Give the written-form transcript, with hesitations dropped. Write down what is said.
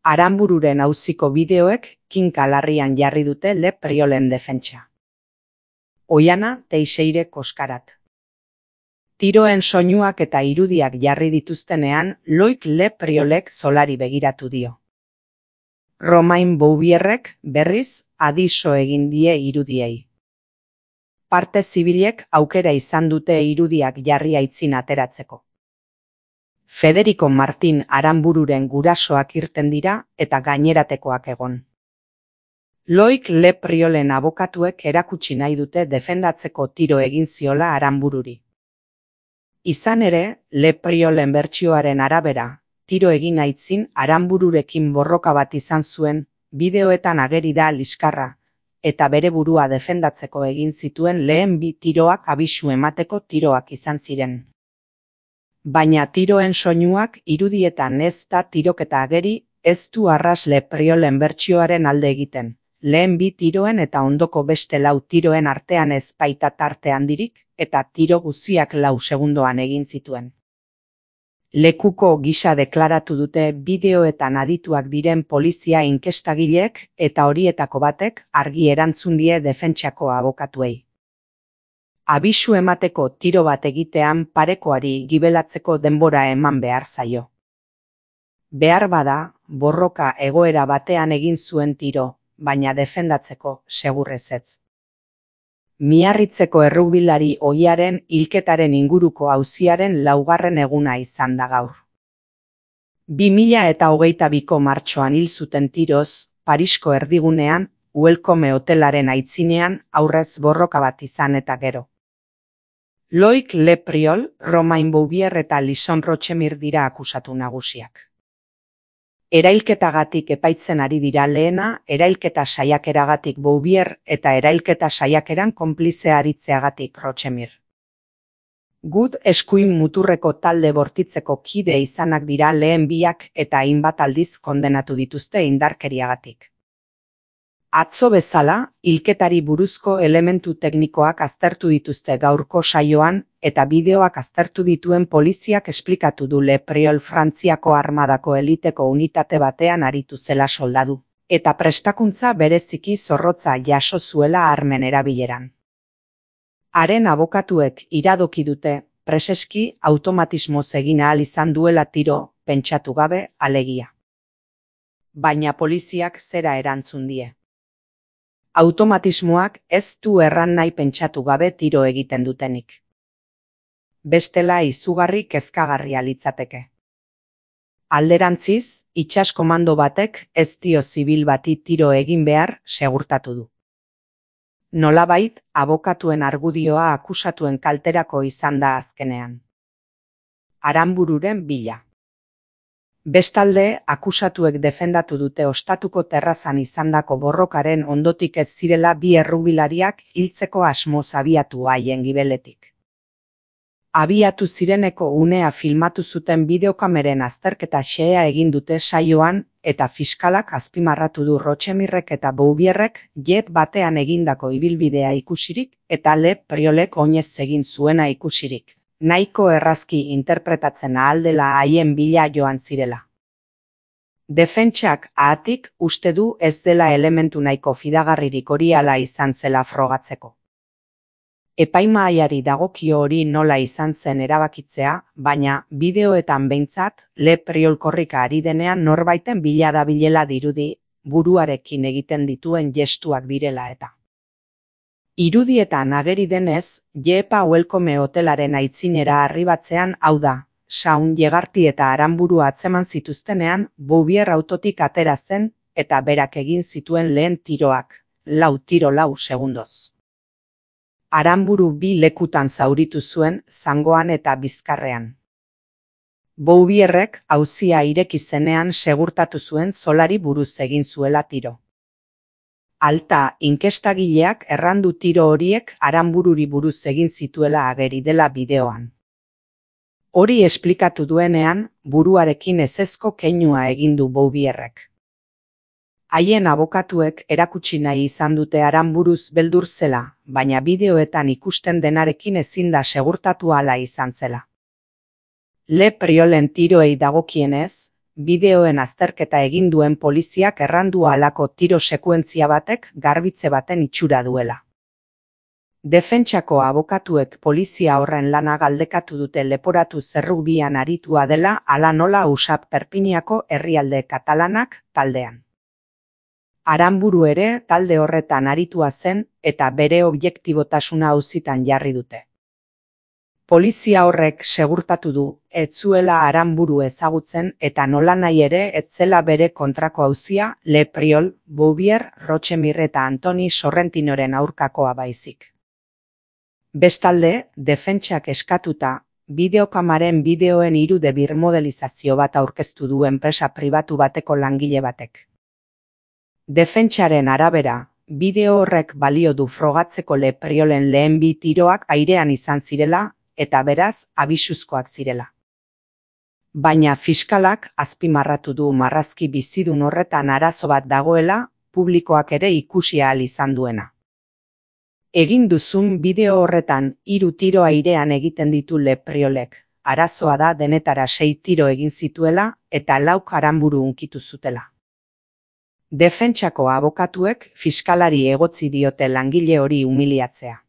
Aranbururen auziko bideoek kinka larrian jarri dute Le Priolen defentsa. Oiana Teixeire Koskarat. Tiroen soinuak eta irudiak jarri dituztenean, Loik Le Priolek zolari begiratu dio. Romain Bouvierrek berriz adiso egin die irudiei. Parte zibilek aukera izan dute irudiak jarri aitzin ateratzeko. Federico Martin Aranbururen gurasoak irten dira eta gaineratekoak egon. Loik Le Priolen abokatuek erakutsi nahi dute defendatzeko tiro egin ziola Aranbururi. Izan ere, Le Priolen bertsioaren arabera, tiro egin aitzin Aranbururekin borroka bat izan zuen, bideoetan ageri da liskarra, eta bere burua defendatzeko egin zituen lehen bi tiroak abisu emateko tiroak izan ziren. Baina tiroen soinuak irudietan ez da tiroketa ageri, ez du arras Le Priolen bertsioaren alde egiten. Lehen bi tiroen eta ondoko beste 4 tiroen artean ez baita tarte handirik, eta tiro guztiak 4 segundoan egin zituen. Lekuko gisa deklaratu dute bideoetan adituak diren polizia inkestagileek eta horietako batek argi erantzun die defentsako abokatuei. Abisu emateko tiro bat egitean parekoari gibelatzeko denbora eman behar zaio. Behar bada, borroka egoera batean egin zuen tiro, baina defendatzeko segurrez ez. Miarritzeko errugbilari ohiaren hilketaren inguruko auziaren 4. eguna izan da gaur. 2022ko martxoan hil zuten tiroz, Parisko erdigunean, Welcome hotelaren aitzinean aurrez borroka bat izan eta gero. Loik Le Priol, Romain Bouvier eta Lison Rochemir dira akusatu nagusiak. Erailketagatik epaitzen ari dira lehena, erailketa saiakeragatik Bouvier eta erailketa saiakeran konplize aritzeagatik Rochemir. Gut eskuin muturreko talde bortitzeko kide izanak dira lehen biak eta hainbat aldiz kondenatu dituzte indarkeriagatik. Atzo bezala, hilketari buruzko elementu teknikoak aztertu dituzte gaurko saioan eta bideoak aztertu dituen poliziak esplikatu du Le Priol Frantziako armadako eliteko unitate batean aritu zela soldadu, eta prestakuntza bereziki zorrotza jaso zuela armen erabileran. Haren abokatuek iradoki dute, preseski automatismoz egin ahal izan duela tiro, pentsatu gabe alegia. Baina poliziak zera erantzun die. Automatismoak ez du erran nahi pentsatu gabe tiro egiten dutenik. Bestela izugarri kezkagarria litzateke. Alderantziz, itsas komando batek ez dio zibil bati tiro egin behar segurtatu du. Nolabait, abokatuen argudioa akusatuen kalterako izan da azkenean. Aranbururen bila. Bestalde, akusatuek defendatu dute ostatuko terrazan izandako borrokaren ondotik ez zirela bi errugbilariak hiltzeko asmoz abiatu haien gibeletik. Abiatu zireneko unea filmatu zuten bideokameren azterketa xehea egin dute saioan eta fiskalak azpimarratu du Rochemirrek eta Bouvierrek jet batean egindako ibilbidea ikusirik eta Le Priolek oinez egin zuena ikusirik. Nahiko errazki interpretatzen ahal dela haien bila joan zirela. Defentsak ahatik uste du ez dela elementu nahiko fidagarririk hori hala izan zela frogatzeko. Epaimahaiari dagokio hori nola izan zen erabakitzea, baina bideoetan behintzat Le Priol korrika ari denean norbaiten bila dabilela dirudi buruarekin egiten dituen gestuak direla eta. Irudietan ageri denez, Jepa Welcome hotelaren aitzinera arribatzean hau da, Saun Jegarti eta Aranburu atzeman zituztenean, Bouvier autotik atera zen eta berak egin zituen lehen tiroak, 4 tiro 4 segundoz. Aranburu 2 lekutan zauritu zuen, zangoan eta bizkarrean. Bouvierrek auzia ireki zenean segurtatu zuen zolari buruz egin zuela tiro. Alta inkestagileak errandu tiro horiek Aranbururi buruz egin zituela ageri dela bideoan. Hori esplikatu duenean, buruarekin ezezko keinua egin du Bouvierrek. Haien abokatuek erakutsi nahi izan dute Aranburuz beldur zela, baina bideoetan ikusten denarekin ezin da segurtatu hala izan zela. Le Priolen tiroei dagokienez, bideoen azterketa egin duen poliziak errandu halako tiro sekuentzia batek garbitze baten itxura duela. Defentsako abokatuek polizia horren lana galdekatu dute leporatu zerrubian aritua dela ala nola USAP Perpiniako herrialde katalanak taldean. Aranburu ere talde horretan aritua zen eta bere objektibotasuna auzitan jarri dute. Polizia horrek segurtatu du, ez zuela Aranburu ezagutzen eta nolanahi ere ez zela bere kontrako auzia Le Priol, Bouvier, Rochemir eta Antoni Sorrentinoren aurkakoa baizik. Bestalde, defentsak eskatuta, bideokamaren bideoen 3D birmodelizazio bat aurkeztu du enpresa pribatu bateko langile batek. Defentsaren arabera, bideo horrek balio du frogatzeko Le Priolen lehen 2 tiroak airean izan zirela, eta beraz, abisuzkoak zirela. Baina fiskalak azpimarratu du marrazki bizidun horretan arazo bat dagoela, publikoak ere ikusi ahal izan duena. Egin duzun bideo horretan 3 tiro airean egiten ditu Le Priolek, arazoa da denetara 6 tiro egin zituela eta 4 Aranburu hunkitu zutela. Defentsako abokatuek fiskalari egotzi diote langile hori umiliatzea.